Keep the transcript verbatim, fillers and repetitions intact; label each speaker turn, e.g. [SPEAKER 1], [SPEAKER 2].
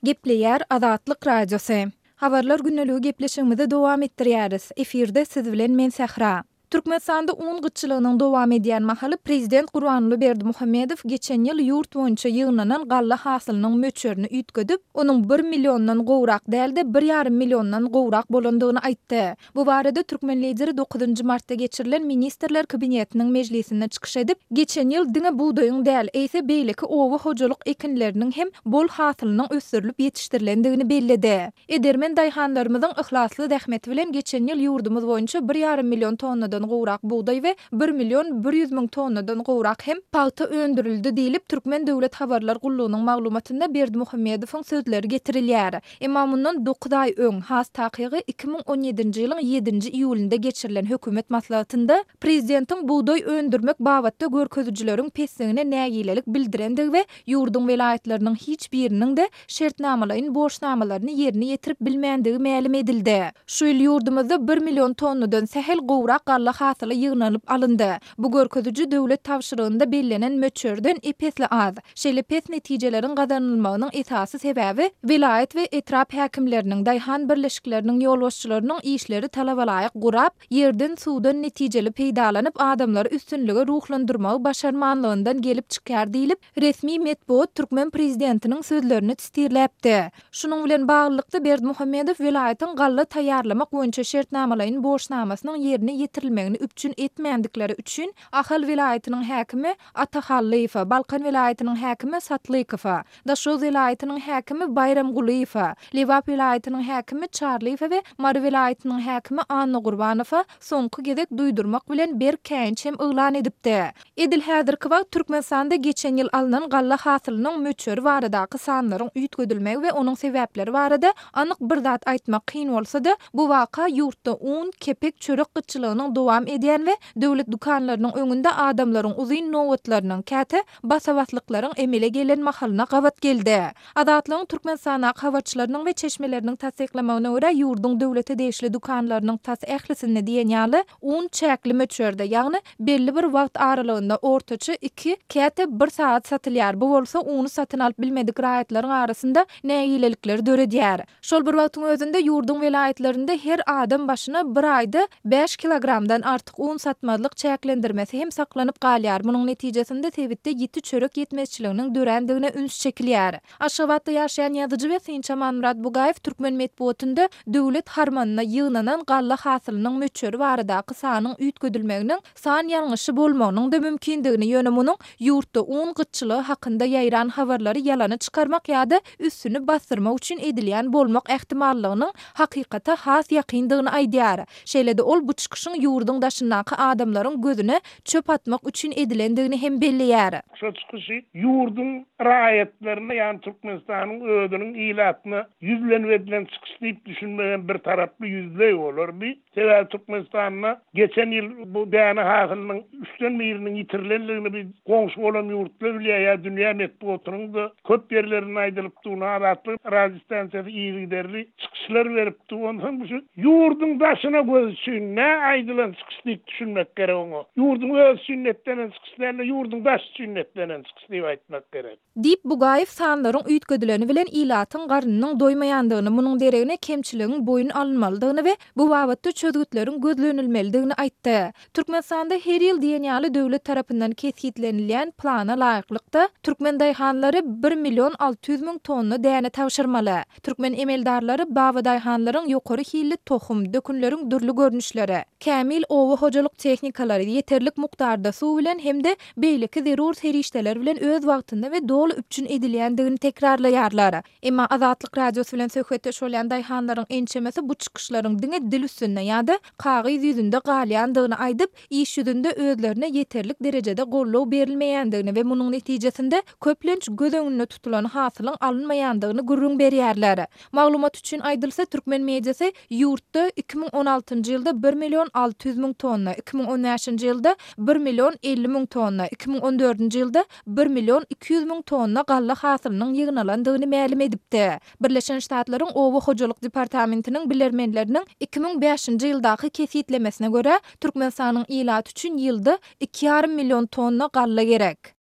[SPEAKER 1] Gepleýär Azatlyk Radiosy. Habarlar gündeligi gepleşigimizi dowam etdirýäris. Efirde siz bilen men Sähra. Türkmenistanda un gytçylygynyň dowam edýän mahaly prezident Gurbanguly Berdimuhamedow geçen ýyl ýurt boýunça ýygnanan galla hasylynyň möçberini üýtgedip, onuň bir milliondan gowrak däl-de, bir ýarym milliondan gowrak bolandygyny aýtdy. Bu barada türkmen lideri dokuzynjy martda geçirilen Ministrler Kabinetiniň mejlisinde çykyş edip, geçen ýyl diňe bugdaýyň däl, eýse beýleki oba hojalyk ekinleriniň hem bol hasylynyň ösdürilip ýetişdirilendigini belledi. Edermen daýhanlarymyzyň yhlasly zähmeti bilen geçen ýyl ýurdumyz boýunça bir ýarym million tonnadan gowrak bugdaý we bir million bir ýüz müň tonnadan gowrak hem pagta öndürildi diýlip, Türkmen döwlet habarlar gullugynyň maglumatynda Berdimuhamedowyň sözleri getirilýär. Emma mundan dokuz aý öň, has takygy iki müň on ýedinji ýylyň ýedinji iýulynda geçirilen hökümet maslahatynda prezidentiň bugdaý öndürmek babatda görkezijileriň pesligine nägilelik bildirendigi we ýurduň welaýatlarynyň hiç biriniň-de şertnamalaýyn borçnamalaryny ýerine ýetirip bilmändigi mälim edildi. Şu ýyl ýurdumyzda bir million tonnadan sähel gowrak galla hasyly ýygnalyp alyndy. Bu görkeziji döwlet tabşyrygynda bellenen möçberden ep-esli az. Şeýle pes netijeleriň gazanylmagynyň esasy sebäbi welaýat we etrap häkimleriniň, daýhan birleşikleriniň ýolbaşçylarynyň işleri talabalaýyk gurap, ýerden-suwdan netijeli peýdalanyp, adamlary üstünlige ruhlandyrmagy başarmanlygyndan gelip çykýar diýlip, resmi metbugat türkmen prezidentiniň sözlerini titirläpdi. Şunuň bilen baglylykda, Berdimuhamedow welaýatyň galla taýýarlamak boýunça şertnamalaýyn borçnamasynyň ýerine ýetirilmegini üpjün etmändikleri üçin Ahal welaýatynyň häkimi Ata Hallyýewe, Balkan welaýatynyň häkimi Satlykowa, Daşoguz welaýatynyň häkimi Baýramgulyýewe, Lebap welaýatynyň häkimi Çarlyýewe we Mary welaýatynyň häkimi Annagurbanowa soňky gezek duýdurmak bilen berk käýinç hem yglan edipdi. Edil häzirki wagt Türkmenistanda geçen ýyl alnan galla hasylynyň möçberi baradaky sanlaryň üýtgedilmegi we onuň sebäpleri barada anyk bir zat aýtmak kyn bolsa-da, bu waka ýurtda un, kepek, çörek gytçylygynyň dowam edýän we döwlet dükanlarynyň öňünde adamlaryň uzyn nobatlarynyň, käte basa-baslyklaryň emele gelen mahalyna gabat geldi. Azatlygyň Türkmenistandaky habarçylarynyň we çeşmeleriniň tassyklamagyna görä, ýurduň döwlete degişli dükanlarynyň tas ählisinde diýen ýaly un çäkli möçberde, ýagny belli bir wagt aralygynda ortaça iki, käte bir sagat satylýar, bu bolsa uny satyn alyp bilmedik raýatlaryň arasynda nägilelikleri döredýär. Şol bir wagtyň özünde ýurduň welaýatlarynda her adam başyna bir aýda bäş kilogramdan artyk un satmazlyk çäklendirmesi hem saklanyp galýar, munuň netijesinde sebitde ýiti çörek ýetmezçiliginiň dörändigine üns çekilýär. Aşgabatda ýaşaýan ýazyjy we synçy Amanmyrat Bugaýew türkmen metbugatynda döwlet harmanyna ýygnanan galla hasylynyň möçberi baradaky sanyň üýtgedilmeginiň san ýalňyşy bolmagynyň-da mümkindigini, ýöne munuň ýurtda un gytçylygy hakynda ýaýran habarlary ýalana çykarmak ýa-da üstüni basdyrmak üçin edilýän bolmak ähtimallygynyň hakykata has ýakyndygyny aýdýar. Şeýle-de ol bu çykyşyň ýurduň daşyndaky adamlaryň gözüne çöp atmak üçin edilendigini hem belleýär.
[SPEAKER 2] Şo çykyşy ýurduň raýatlaryna, ýagny Türkmenistanyň özüniň ilatyna ýüzlenip edilen çykyş diýip düşünmegem bir taraply ýüzleý bolardy. Sebäbi Türkmenistanda geçen ýyl bu däne hasylynyň üçden biriniň ýitirilendigini biz goňşy bolan ýurtlar bilýär, ýa dünýä metbugatynyň-da köp ýerlerinde aýdylypdy, Azatlyk radiostansiýasy yzygiderli çykyşlar beripdi. Onsoň bu şu ýurduň daşyna göz üçin nä aýdylan çykyş diýip düşünmek gerek oňa. Ýurduň öz üçin netlenen çykyş däl-de, ýurduň daşy üçin netlenen çykyş diýip aýtmak gerek.
[SPEAKER 1] Diýip, Bugaýew sanlaryň üýtgedileni bilen ilatyň garnynyň doýmaýandygyny, munuň deregine kemçiligiň boýun alynmalydygyny we bu babatda çözgütleriň gözlenilmelidigini aýtdy. Türkmenistanda her ýyl diýen ýaly döwlet tarapyndan kesgitlenilýän plana laýyklykda, türkmen daýhanlary bir million alty ýüz müň tonna däne tabşyrmaly. Türkmen emeldarlary babadaýhanlaryň ýokary hilli tohum, dökünleriň dürli görnüşleri, kämil oba hojalyk tehnikalary, ýeterlik mukdarda suw bilen hem-de beýleki zerur serişdeler bilen öz wagtynda we doly üpjün edilýändigini tekrarlaýarlar. Emma Azatlyk Radiosy bilen söhbetdeş bolýan daýhanlaryň ençemesi bu çykyşlaryň diňe dil üstünde ýa-da kagyz ýüzünde galýandygyny aýdyp, iş ýüzünde özlerine ýeterlik derejede goldaw berilmeýändigini we munuň netijesinde köplenç göz öňünde tutulan hasylyň alynmaýandygyny gürrüň berýärler. Maglumat üçin aýdylsa, türkmen mediasy ýurtda iki müň on altynjy ýylda bir million alty ýüz müň tonna, iki müň on bäşinji ýylda bir million elli müň tonna, iki müň on dördünji ýylda bir million iki ýüz müň tonna galla hasylynyň ýygnalandygyny mälim edipdi. Birleşen Ştatlaryň Oba hojalyk departamentiniň bilermenleriniň iki müň bäşinji ýyldaky kesgitlemesine görä, Türkmenistanyň ilaty üçin ýylda iki ýarym million tonna galla gerek.